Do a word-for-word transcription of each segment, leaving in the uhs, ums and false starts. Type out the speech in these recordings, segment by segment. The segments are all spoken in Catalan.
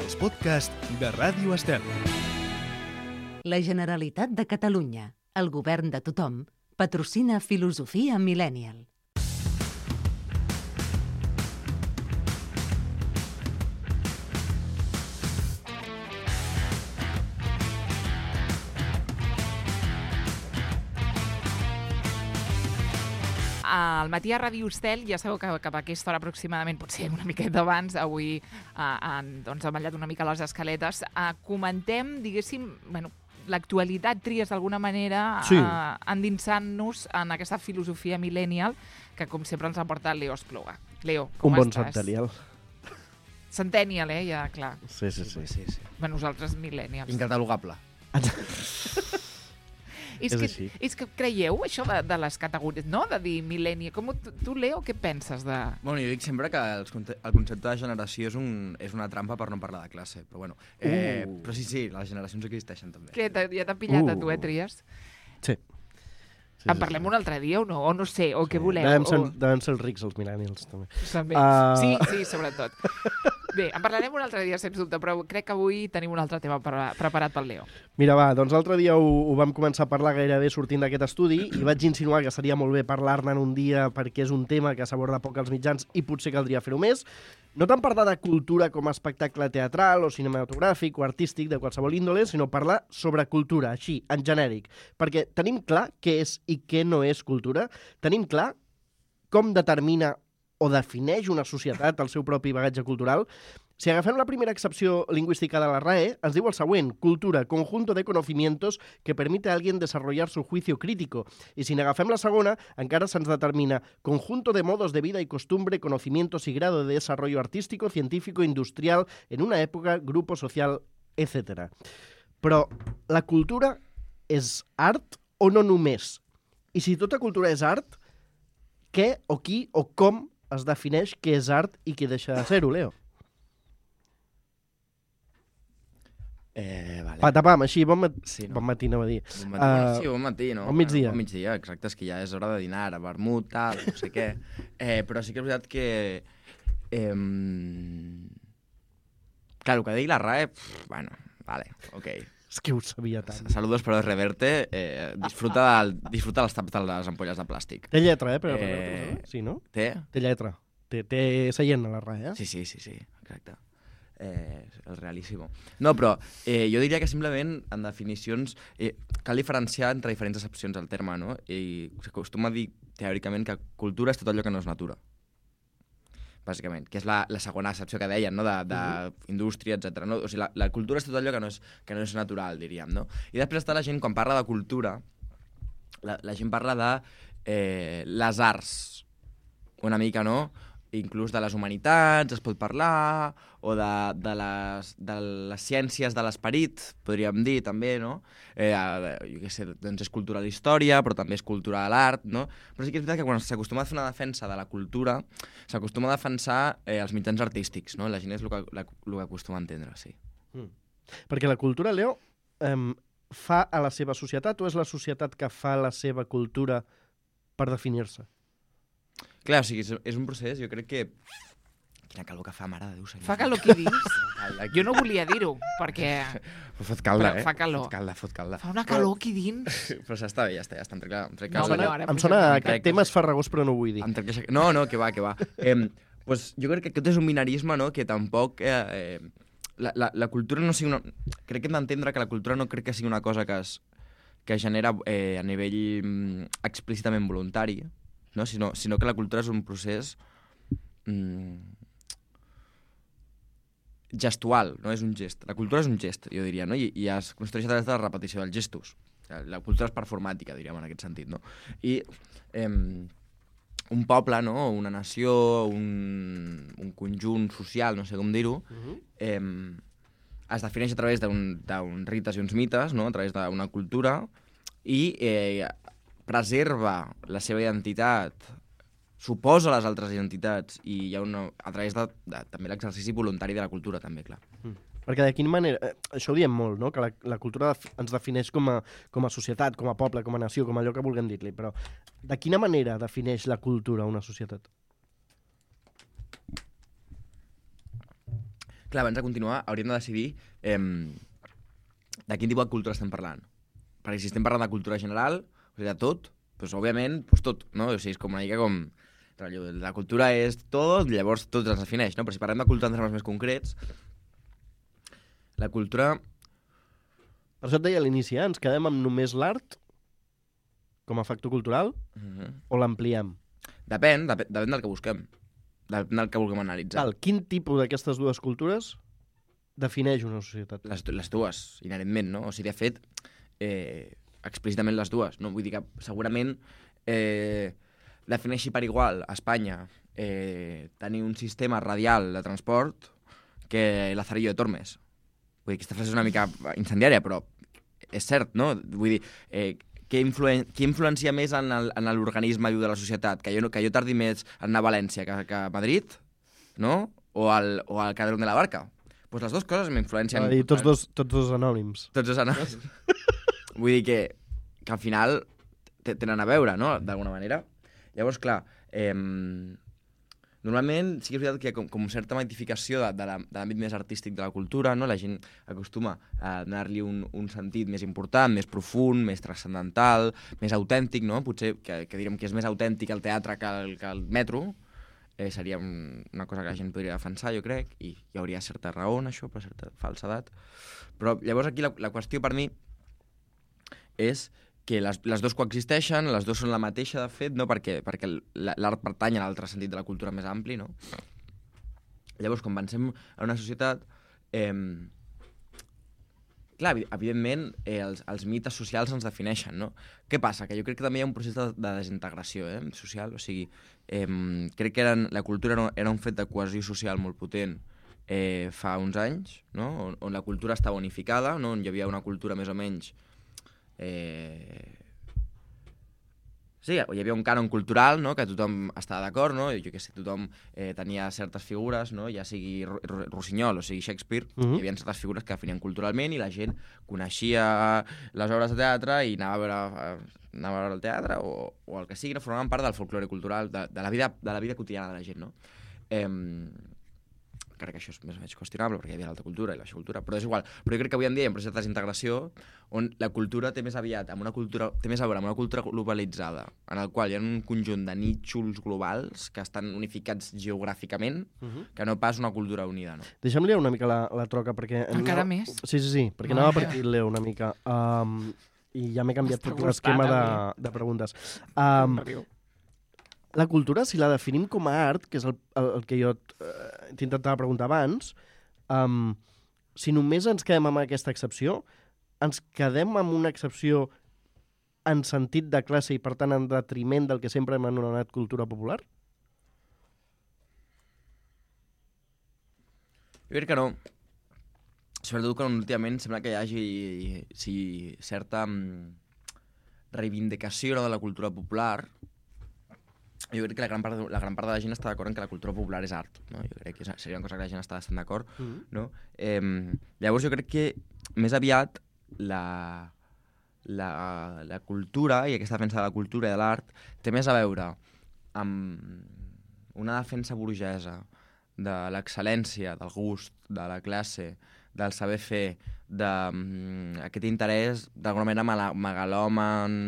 els podcasts de Ràdio Estel. La Generalitat de Catalunya, el govern de tothom, patrocina Filosofia Millennial. Al matí a Ràdio Estel, ja sabeu que cap a aquesta hora aproximadament, potser una miqueta abans, avui eh, han, doncs, han ballat una mica les escaletes, eh, comentem, diguéssim, bueno, l'actualitat, tries d'alguna manera, sí. eh, endinsant-nos en aquesta filosofia millennial que, com sempre, ens ha portat Leo Espluga. Leo, com Un bon estàs? centennial. Centennial, eh? Ja, clar. Sí, sí, sí. sí, sí. Bé, nosaltres millennials. Incatalogable. És, És que, així. és que creieu això de, de les categories, no? De dir millennial. Com, tu, tu, Leo, què penses de... Bueno, jo dic sempre que els conte- el concepte de generació és, un, és una trampa per no parlar de classe, però bueno. Eh, Uh. Però sí, sí, les generacions existeixen també. Què, t'ha- ja t'ha pillat a tu, eh, Uh. Tries? Sí. Sí, En parlem un altre dia o no? O no sé, o què voleu? Devem ser, o... devem ser els rics, els millennials, també. També. Uh. Sí, sí, sobretot. Bé, en parlarem un altre dia, sens dubte, però crec que avui tenim un altre tema pre preparat pel Leo. Mira, va, doncs l'altre dia ho, ho vam començar a parlar gairebé sortint d'aquest estudi i vaig insinuar que seria molt bé parlar-ne en un dia perquè és un tema que s'aborda poc als mitjans i potser caldria fer-ho més. No tant parlar de cultura com a espectacle teatral o cinematogràfic o artístic de qualsevol índole, sinó parlar sobre cultura, així, en genèric. Perquè tenim clar què és i què no és cultura. Tenim clar com determina o defineix una societat el seu propi bagatge cultural. Si agafem la primera excepció lingüística de la R A E, ens diu el següent: cultura, conjunto de conocimientos que permite a alguien desarrollar su juicio crítico. I si n'agafem la segona, encara se'ns determina conjunto de modos de vida y costumbre, conocimientos y grado de desarrollo artístico, científico, industrial, en una època, grupo social, etcètera. Però la cultura és art o no només? I si tota cultura és art, què o qui o com es defineix què és art i què deixa de ser-ho, Leo? Eh, vale. Patapam, així, bon, mat Sí, no? bon matí, anava a dir. Bon matí. Uh, Uh, sí, bon matí, no? bon migdia. Bon migdia, exacte, és que ja és hora de dinar, a vermut, tal, no sé què. Eh, però sí que és veritat que... Eh, clar, el que digui la R A E, pff, bueno, vale, ok. És que ho sabia tant. Saludos, però reverte, eh, disfruta, del, disfruta dels taps de les ampolles de plàstic. Té lletra, eh, per Eh, eh... Sí, no? Té? Té lletra. Té, té seient a la R A E, eh? Sí, sí, sí, sí, exacte. Eh, el realíssimo. No, però eh, jo diria que simplement, en definicions, eh, cal diferenciar entre diferents accepcions del terme, no? I s'acostuma a dir, teòricament, que cultura és tot allò que no és natura. Bàsicament, que és la, la segona accepció que deien, no? D'indústria, etcètera. No? O sigui, la, la cultura és tot allò que no és, que no és natural, diríem, no? I després està la gent, quan parla de cultura, la, la gent parla de eh, les arts, una mica, no? Inclús de les humanitats es pot parlar, o de, de, les, de les ciències de l'esperit, podríem dir, també, no? Eh, jo què sé, doncs és cultura de la història, però també és cultura de l'art, no? Però sí que és veritat que quan s'acostuma a fer una defensa de la cultura, s'acostuma a defensar eh, els mitjans artístics, no? La gent és el que, la, el que acostuma a entendre, sí. Mm. Perquè la cultura, Leo, eh, fa a la seva societat o és la societat que fa la seva cultura per definir-se? Clar, o sigui, és, és un procés, jo crec que... Quina calor que fa, mare de Déu, senyor. Fa calor aquí dins? Jo no volia dir-ho, perquè Però fot calda, Però eh? fa calor. Fot calda, fot calda. fa una calor aquí dins. Però ja està bé, ja està, ja està. Em trec, em trec No, calda. però ara Em posem sona una a mica. aquest tema és farragós, però no ho vull dir. Em trec això- No, no, que va, que va. Eh, pues, jo crec que aquest és un binarisme, no?, que tampoc... Eh, eh, la, la, la cultura no sigui una... Crec que hem d'entendre que la cultura no crec que sigui una cosa que es, que es genera eh, a nivell mm, explícitament voluntari, no? sinó, sinó que la cultura és un procés mm, gestual, no és un gest. La cultura és un gest, jo diria, no? I, i es construeix a través de la repetició dels gestos. La cultura és performàtica, diríem, en aquest sentit, no? I eh, un poble, no?, una nació, un, un conjunt social, no sé com dir-ho, Uh-huh. eh, es defineix a través d'un rites i uns mites, no?, a través d'una cultura, i eh, preserva la seva identitat, suposa les altres identitats, i hi ha una, a través de, de també l'exercici voluntari de la cultura, també, clar. Mm. Perquè de quina manera... Eh, això ho diem molt, no?, que la, la cultura ens defineix com a, com a societat, com a poble, com a nació, com allò que vulguem dir-li, però de quina manera defineix la cultura una societat? Clar, abans de continuar, hauríem de decidir eh, de quin tipus de cultura estem parlant. Perquè si estem parlant de cultura general, o sigui, de tot, doncs, òbviament, doncs tot, no? O sigui, és com una mica com... La cultura és tot, llavors tot ens defineix, no? Però si parlem de cultura en termes més concrets, la cultura... Per això et deia a l'inici, eh? Ens quedem amb només l'art com a factor cultural Uh-huh. o l'ampliem? Depèn, depèn, depèn del que busquem. Depèn del que vulguem analitzar. Val, quin tipus d'aquestes dues cultures defineix una societat? Les, les dues, inherentment, no? O sigui, de fet, eh, explícitament les dues, no? Vull dir que segurament eh, defineixi per igual a Espanya eh, tenir un sistema radial de transport que Lazarillo de Tormes. Vull dir, aquesta frase és una mica incendiària, però és cert, no? Vull dir, eh, què, influen què influencia més en l'organisme viu de la societat? Que jo, que jo tardi més en anar a València que, que a Madrid, no? O al, o al Cadrón de la Barca. Doncs pues les dues coses m'influencien... I tots dos, tots dos anònims. Tots dos anònims. Vull dir que, que al final tenen a veure, no?, d'alguna manera. Llavors, clar, eh, normalment sí que és veritat que com, com certa magnificació de, de l'àmbit més artístic de la cultura, no?, la gent acostuma a donar-li un, un sentit més important, més profund, més transcendental, més autèntic, no? Potser que, que direm que és més autèntic el teatre que el, que el metro, eh, seria un, una cosa que la gent podria defensar, jo crec, i hi hauria certa raó en això, per certa falsedat. Però llavors aquí la, la qüestió per mi és que les, les dues coexisteixen, les dues són la mateixa, de fet, no? perquè, perquè l'art pertany a l'altre sentit de la cultura més ampli, no? Llavors, quan pensem en una societat, eh, clar, evidentment, eh, els, els mites socials ens defineixen, no? Què passa? Que jo crec que també hi ha un procés de, de desintegració eh, social, o sigui, eh, crec que eren, la cultura era, era un fet de cohesió social molt potent eh, fa uns anys, no? On, on la cultura estava unificada, no? On hi havia una cultura més o menys... Eh... Sí, hi havia un cànon cultural, no?, que tothom estava d'acord, no? Jo què sé, tothom eh, tenia certes figures, no?, ja sigui Rossinyol o sigui Shakespeare, uh-huh. Hi havia certes figures que definien culturalment i la gent coneixia les obres de teatre i anava a veure, anava a veure el teatre o, o el que sigui, no? Formaven part del folklore cultural, de, de, la vida, de la vida quotidiana de la gent, no? Eh, crec que això és més o menys qüestionable perquè hi havia l'alta cultura i la baixa cultura, però és igual. Però jo crec que avui en dia hi ha un procés de desintegració on la cultura té més aviat amb una cultura, té més a veure amb una cultura globalitzada, en el qual hi ha un conjunt de nítxols globals que estan unificats geogràficament, uh-huh. que no pas una cultura unida, no? Deixa'm liar una mica la, la troca, perquè... Encara no... més? Sí, sí, sí, perquè no, anava per aquí, Leo, una mica. Um, I ja m'he canviat tot l'esquema de, de preguntes. Um, La cultura, si la definim com a art, que és el, el, el que jo eh, t'intentava preguntar abans, um, si només ens quedem amb aquesta excepció, ens quedem amb una excepció en sentit de classe i, per tant, en detriment del que sempre hem anomenat cultura popular? Jo crec que no. Sobretot que últimament sembla que hi hagi sí, certa um, reivindicació de la cultura popular. Jo crec que la gran part de la, gran part de la gent està d'acord en que la cultura popular és art, no? Jo crec que seria una cosa que la gent està bastant d'acord, mm-hmm. no? Eh, llavors jo crec que més aviat la, la, la cultura i aquesta defensa de la cultura i de l'art té més a veure amb una defensa burgesa de l'excel·lència, del gust, de la classe, del saber fer, d'aquest interès d'alguna manera megalòman,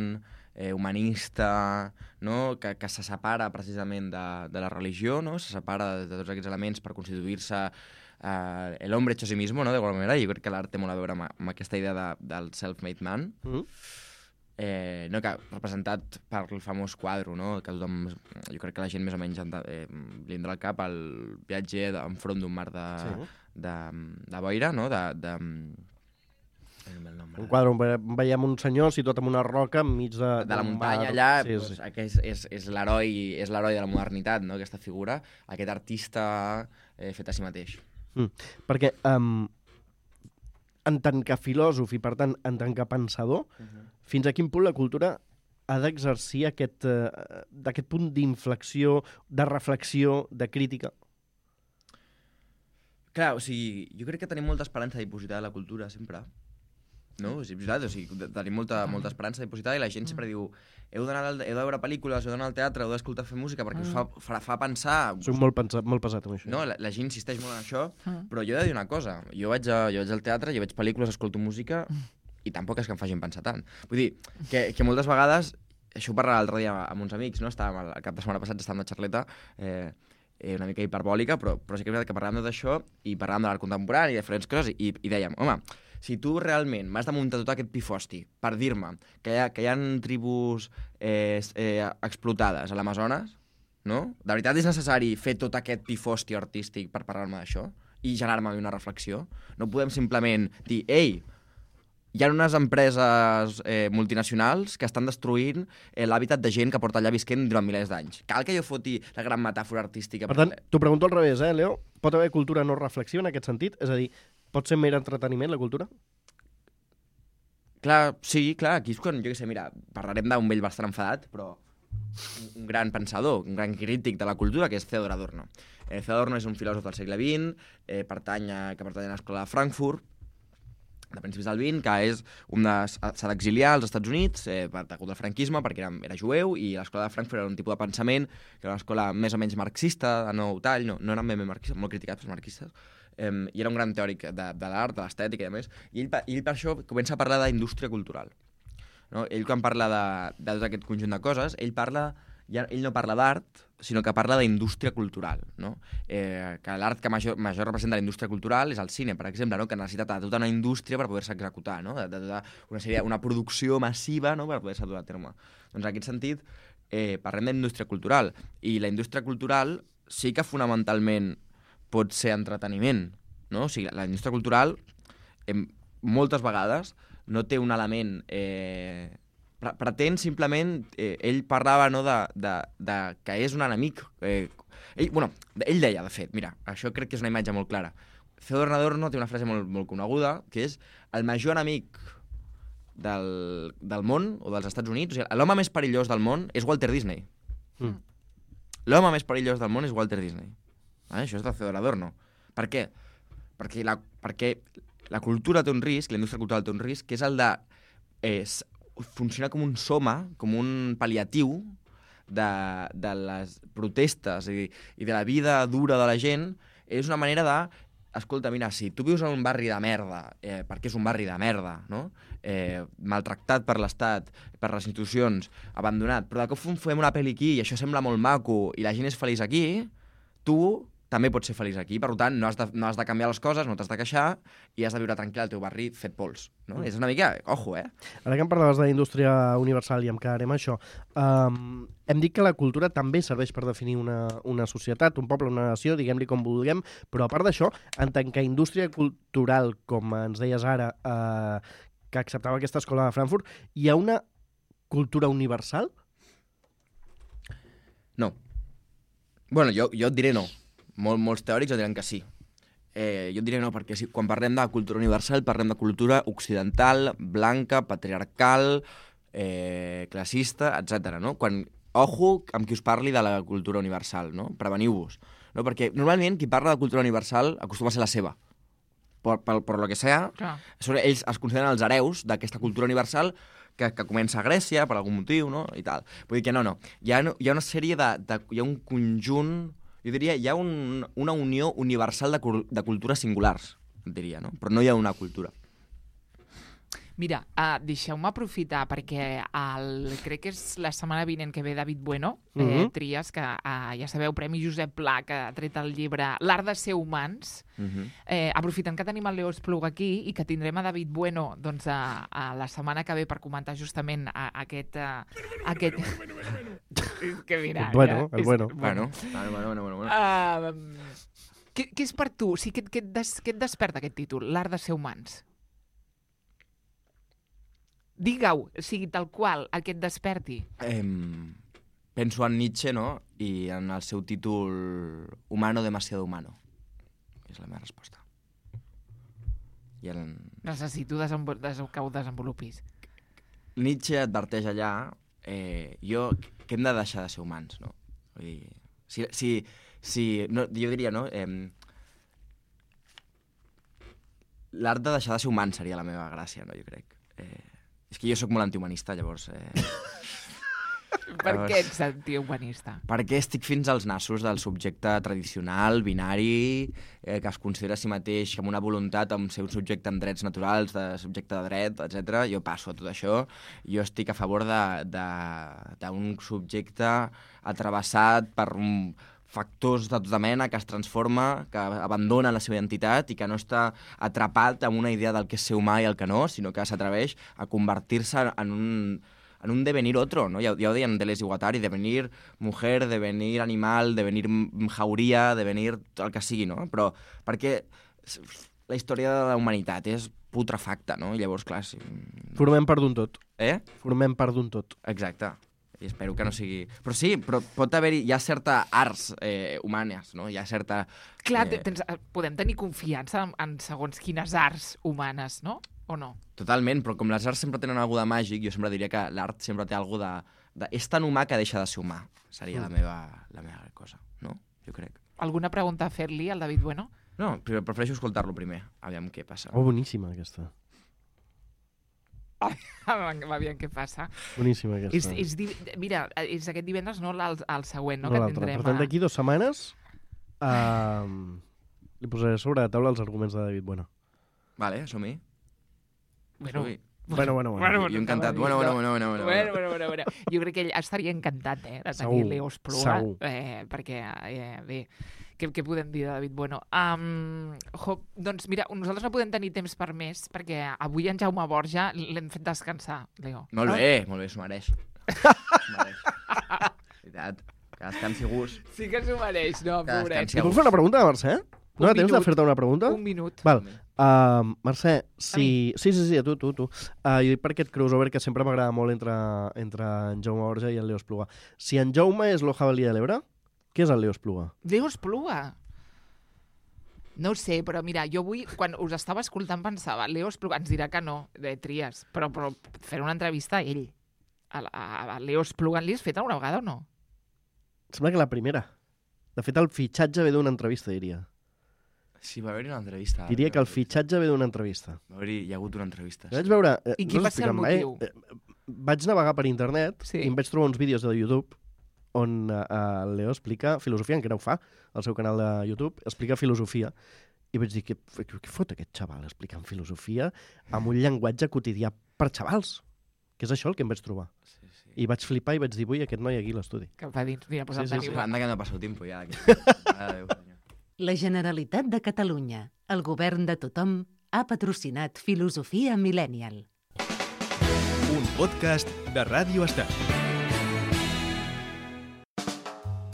Eh, humanista, no? que, que se separa precisament de, de la religió, no? Se separa de, de tots aquests elements per constituir-se eh, l'hombre hecho a sí mismo, no? d'alguna manera. Jo crec que l'art té molt a veure amb, amb aquesta idea de, del self-made man, mm. eh, no? que representat per el famós quadre, no? Que tothom, jo crec que la gent més o menys eh, li entra al cap el viatger enfront d'un mar de, sí. de, de boira, no? de... de un quadre on veiem un senyor situat en una roca enmig de... De la muntanya, allà, sí, doncs, sí. Aquest és, és l'heroi és l'heroi de la modernitat, no? Aquesta figura, aquest artista eh, fet a si mateix. Mm. Perquè, um, en tant que filòsof i, per tant, en tant que pensador, uh-huh. fins a quin punt la cultura ha d'exercir aquest, uh, d'aquest punt d'inflexió, de reflexió, de crítica? Clar, o sigui, jo crec que tenim molta esperança dipositada a la cultura, sempre. no? És veritat, o sigui, tenim molta, molta esperança dipositada i la gent sempre diu heu d'anar al- heu de veure pel·lícules, heu d'anar al teatre, heu d'escoltar fer música perquè us fa, fa, fa pensar... Soc molt, pensa, molt pesat amb això. No, la, la gent insisteix molt en això, Mm. però jo he de dir una cosa. Jo vaig, a, jo vaig al teatre, jo veig pel·lícules, escolto música i tampoc és que em facin pensar tant. Vull dir, que, que moltes vegades, això ho parlava l'altre dia amb uns amics, no? Estàvem el, el cap de setmana passat, estàvem de xarleta, eh, eh, una mica hiperbòlica, però, però sí que és veritat que parlàvem d'això i parlàvem de l'art contemporani i diferents coses i, i dèiem, home, si tu realment m'has de muntar tot aquest pifosti per dir-me que hi ha, que hi ha tribus eh, eh, explotades a l'Amazones, no? De veritat és necessari fer tot aquest pifosti artístic per parlar-me d'això i generar-me una reflexió? No podem simplement dir, ei, hi ha unes empreses eh, multinacionals que estan destruint eh, l'hàbitat de gent que porta allà visquent durant milers d'anys. Cal que jo foti la gran metàfora artística? Per tant, t'ho pregunto al revés, eh, Leo? Pot haver cultura no reflexiva en aquest sentit? És a dir, pot ser mer entreteniment, la cultura? Clar, sí, clar, aquí és quan, jo què sé, mira, parlarem d'un vell bastant enfadat, però un, un gran pensador, un gran crític de la cultura, que és Theodor Adorno. Eh, Theodor Adorno és un filòsof del segle vint, eh, pertany a, que pertany a l'escola de Frankfurt, de principis del vint, que és un de, s'ha d'exiliar als Estats Units eh, per degut al franquisme, perquè era, era jueu, i l'escola de Frankfurt era un tipus de pensament, que era una escola més o menys marxista, de nou tall, no, no eren ben bé marxistes, molt criticats pels marxistes, Um, i era un gran teòric de, de l'art, de l'estètica i a més, i ell, i ell per això comença a parlar d'indústria cultural. No? Ell quan parla de, de tot aquest conjunt de coses, ell parla, ja, ell no parla d'art, sinó que parla d'indústria cultural. No? Eh, que l'art que major, major representa la indústria cultural és el cine, per exemple, no? Que necessita de tota una indústria per poder-se executar, no? de, de, de una, sèrie, una producció massiva, no? Per poder-se dur a terme. Doncs en aquest sentit, eh, parlem d'indústria cultural, i la indústria cultural sí que fonamentalment pot ser entreteniment, no? O sigui, la indústria cultural eh, moltes vegades no té un element... Eh, pre pretén simplement... Eh, ell parlava no, de, de, de que és un enemic. Eh, ell, bueno, ell deia, de fet, mira, això crec que és una imatge molt clara. Theodor Adorno té una frase molt, molt coneguda, que és el major enemic del, del món, o dels Estats Units, o sigui, l'home més perillós del món és Walter Disney. Mm. L'home més perillós del món és Walter Disney. Ah, això és de Theodor Adorno. Per què? Perquè la, perquè la cultura té un risc, la indústria cultural té un risc, que és el de eh, funcionar com un soma, com un pal·liatiu de, de les protestes i, i de la vida dura de la gent. És una manera de... Escolta, mira, si tu vius en un barri de merda, eh, perquè és un barri de merda, no? Eh, maltractat per l'Estat, per les institucions, abandonat, però de cop fem una pel·li aquí i això sembla molt maco i la gent és feliç aquí, tu també pots ser feliç aquí. Per tant, no has de, no has de canviar les coses, no t'has de queixar i has de viure tranquil al teu barri fet pols. No? Mm. És una mica... Ojo, eh? Ara que em parlaves de la indústria universal i em quedarem a això, um, hem dit que la cultura també serveix per definir una, una societat, un poble, una nació, diguem-li com vulguem, però a part d'això, en tant que indústria cultural, com ens deies ara, uh, que acceptava aquesta escola de Frankfurt, hi ha una cultura universal? No. Bueno, jo, jo et diré no. Mol, molts teòrics et diran que sí. Eh, jo et diré no, perquè si, quan parlem de cultura universal parlem de cultura occidental, blanca, patriarcal, eh, classista, etcètera. No? Quan, ojo amb qui us parli de la cultura universal, no? Preveniu-vos. No? Perquè normalment qui parla de cultura universal acostuma a ser la seva. Per, per, per lo que sea, són, ells es consideren els hereus d'aquesta cultura universal que, que comença a Grècia per algun motiu, no? I tal. Vull dir que no, no. Hi ha, hi ha una sèrie de, de... Hi ha un conjunt... Jo diria, hi ha un, una unió universal de, de cultures singulars, diria, no? Però no hi ha una cultura. Mira, uh, deixeu-me aprofitar perquè el, crec que és la setmana vinent que ve David Bueno, eh, Mhm. Trias, que uh, ja sabeu, Premi Josep Pla, que ha tret el llibre L'art de ser humans. Uh-huh. Eh, aprofitant que tenim el Leo Espluga aquí i que tindrem a David Bueno doncs, a, a la setmana que ve per comentar justament a, a aquest... A, aquest... És que mira... Bueno, ja, el és- bueno. Bueno, bueno, bueno, bueno, bueno. Uh, què, què és per tu? O sigui, què, què, et des, què et desperta aquest títol, L'art de ser humans? Digue-ho, o sigui, tal qual, el que et desperti. Eh, penso en Nietzsche, no? I en el seu títol Humano demasiado humano. És la meva resposta. I el... Necessito desenvol des que ho desenvolupis. Nietzsche adverteix allà eh, jo, que hem de deixar de ser humans, no? Vull dir, si, si, si, no, jo diria, no? Eh, l'art de deixar de ser humans seria la meva gràcia, no, jo crec. Eh, és que jo sóc molt antihumanista, llavors... Eh... Per llavors, què ets antihumanista? Perquè estic fins als nassos del subjecte tradicional, binari, eh, que es considera a si mateix com una voluntat amb ser un subjecte amb drets naturals, de subjecte de dret, etcètera. Jo passo a tot això. Jo estic a favor d'un subjecte atrevessat per un factors de tota mena, que es transforma, que abandona la seva identitat i que no està atrapat amb una idea del que és ser humà i el que no, sinó que s'atreveix a convertir-se en un, en un devenir otro, no? Ja, ja ho deien Deleuze i Guattari, devenir mujer, devenir animal, devenir jauria, devenir el que sigui, no? Però perquè la història de la humanitat és putrefacta, no? I llavors, clar, sí... Formem part d'un tot. Eh? Formem part d'un tot. Exacte. I espero que no sigui... Però sí, però pot haver-hi... Hi ha certa arts eh, humanes, no? Hi ha certa... Clar, eh... tens, podem tenir confiança en, en segons quines arts humanes, no? O no? Totalment, però com les arts sempre tenen alguna de màgic, jo sempre diria que l'art sempre té alguna de, de... És tan humà que deixa de ser humà. Seria la meva, la meva cosa, no? Jo crec. Alguna pregunta a fer-li al David Bueno? No, però prefereixo escoltar-lo primer. Aviam què passa. Oh, boníssima, aquesta. Va bien, què passa? Boníssima, aquesta. És, és di... Mira, és aquest divendres, no el, el següent, no? No, que l'altre. tindrem. Per tant, d'aquí dues setmanes uh, li posaré sobre la taula els arguments de David Bueno. Vale, som-hi. Bueno, Som-hi. Bueno, bueno, bueno. Bueno, Jo encantat. Bueno, bueno, bueno, bueno, bueno. Bueno, bueno, bueno, bueno. Jo crec que ell estaria encantat, eh, de tenir Segur, Leo Espluga. segur. Eh, perquè, eh, bé, què, què podem dir de David Bueno? Um, jo, doncs mira, nosaltres no podem tenir temps per més, perquè avui en Jaume Borja l'hem fet descansar, Leo. Molt bé, molt bé, s'ho mereix. S'ho mereix. Veritat. Que descansi gust. Sí que s'ho mereix, no, Que pobret. descansi Li puc fer una pregunta, Mercè? No Un hi ha temps de minut. fer-te una pregunta? Un minut. Val. Uh, Mercè, si... mi? Sí, sí, sí, a tu, tu, tu. Uh, jo dic per aquest crossover que sempre m'agrada molt entre, entre en Jaume Borja i en Leo Espluga. Si en Jaume és lo jabalí de l'Ebre, què és el Leo Espluga? Leo Espluga. No ho sé, però mira, jo avui, quan us estava escoltant, pensava, Leo Espluga, ens dirà que no, de tries, però, però fer una entrevista a ell. A, a, a Leo Espluga, li has fet alguna vegada o no? Sembla que la primera. De fet, el fitxatge ve d'una entrevista, diria. Sí, va haver-hi una entrevista. Diria que el fitxatge ve d'una entrevista. Va haver-hi, hi ha hagut una entrevista. Jo vaig veure... Eh, I quin no va ser el s'expliquen mai, motiu? Eh, vaig navegar per internet Sí. i em vaig trobar uns vídeos de YouTube on eh, el Leo explica filosofia, encara ho fa, al seu canal de YouTube, explica filosofia. I vaig dir, què, què fot aquest xaval explicant filosofia amb un llenguatge quotidià per xavals? Que és això el que em vaig trobar. Sí, sí. I vaig flipar i vaig dir, vull aquest noi aquí a l'estudi. Que va dins, mira, doncs Sí, el sí, Sí, tenim. anda que no ha passat tiempo ja. Adéu, senyor. La Generalitat de Catalunya, el govern de tothom, ha patrocinat Filosofia Millennial. Un podcast de Ràdio Estel.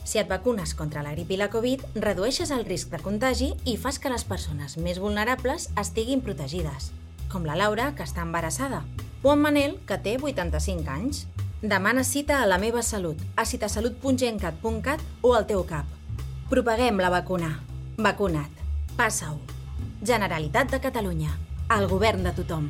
Si et vacunes contra la grip i la Covid, redueixes el risc de contagi i fas que les persones més vulnerables estiguin protegides, com la Laura, que està embarassada, o en Manel, que té vuitanta-cinc anys. Demana cita a La Meva Salut, a citasalut punt gencat punt cat o al teu cap. Propaguem la vacuna. Vacuna't. Passa-ho. Generalitat de Catalunya. El govern de tothom.